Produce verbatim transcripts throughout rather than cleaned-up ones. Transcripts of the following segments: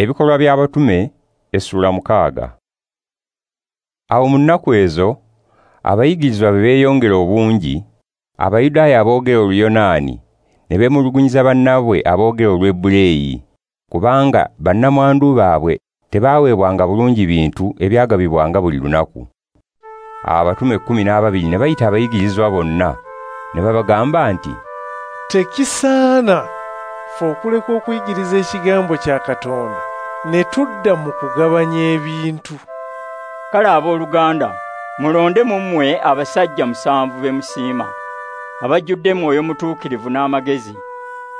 Ebikolwa by'Abatume essula mukaaga. Awo mu nnaku ezo abayigirizwa bwe beeyongera obungi, Abayudaaya aboogera Oluyonaani ne beemulugunyiza bannaabwe aboogera Olwebureeyi, kubanga bannamwandu baabwe tebaaweebwanga bulungi bintu ebyagabibwanga buli lunaku. Awo abatume kkumi n'ababiri ne bayita abayigirizwa bonna ne babagamba nti, "Tekisaana ffe okuleka okuyigiriza ekigambo kya Katonda ne tudda mu kugabanya ebintu. Kale abooluganda, mulonde mu mmwe abasajja musanvu be musiima, abajjudde Mwoyo Mutuukirivu n'amagezi,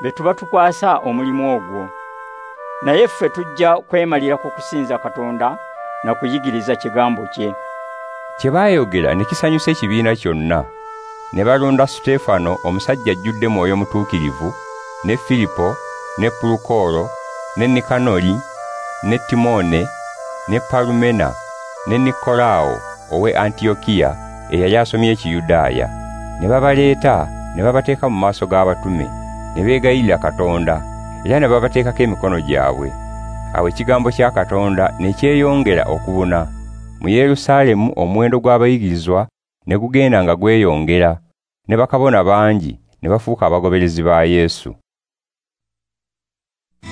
be tuba tukwasa omulimu ogwo. Naye ffe tujja kwemalira ku kusinza Katonda na kuyigiriza kigambo kye." Kye baayogera ne kisanyusa ekibiina kyonna. Ne balonda Suteefano omusajja ajjudde Mwoyo Mutuukirivu, ne Filipo, ne Pulukolo, ne Nikanoli, ne Timoone, ne Palumena, ne Nikolaawo ow'e Antiyokiya eyali asomye Ekiyudaaya. Ne babaleeta ne babateeka mu maaso g'abatume, ne beegayirira Katonda, era ne babateekako emikono gyabwe. Awo ekigambo kya Katonda ne kyeyongera okubuna. Mu Yerusaalemu omuwendo gw'abayigirizwa ne gugenda nga gweyongera, ne bakabona bangi ne bafuuka abagoberezi ba Yesu.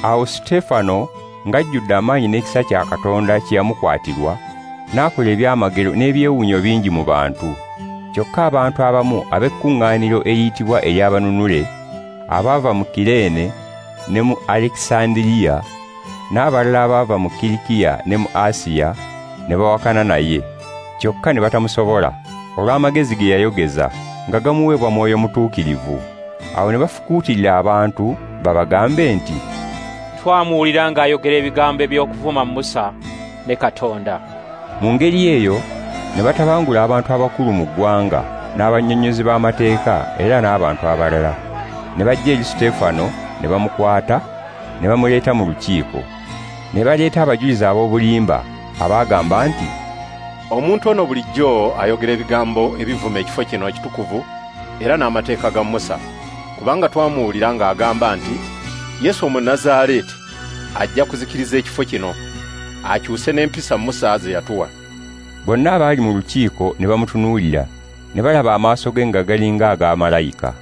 Awo Suteefano ng'ajjudde amaanyi n'ekisa kya Katonda kye yamukwatirwa, n'akola ebyamagero n'ebyewuunyo bingi mu bantu. Kyokka abantu abamu ab'ekkuŋŋaaniro eriyitibwa ery'Abanunule, abaava mu Kireene ne mu Alekisandiriya, n'abalala abaava mu Kirikiya ne mu Asiya, ne bawakana naye. Kyokka ne batamusobola olw'amagezi ge yayogeza nga gamuweebwa Mwoyo Mutuukirivu. Awo ne bafukuutirira abantu babagambe nti, "Twamuwulira ng'ayogera ebigambo eby'okuvuma Musa ne Katonda." Mu ngeri eyo ne batabangula abantu abakulu mu ggwanga n'abannyonnyozi b'amateeka era n'abantu abalala. Ne bajja eri Suteefano ne bamukwata ne bamuleeta mu lukiiko. Ne baleeta abajulizi ab'obulimba abaagamba nti, "Omuntu ono bulijjo ayogera ebigambo ebivuma ekifo kino ekitukuvu era n'amateeka ga Musa, kubanga twamuwulira ng'agamba nti Yesu Omunnazaaleeti ajja kuzikiriza ekifo kino, akyuse n'empisa Musa ze yatuwa." Bonna abaali mu lukiiko ne bamutunuulira, ne balaba amaaso ge nga galinga aga malayika.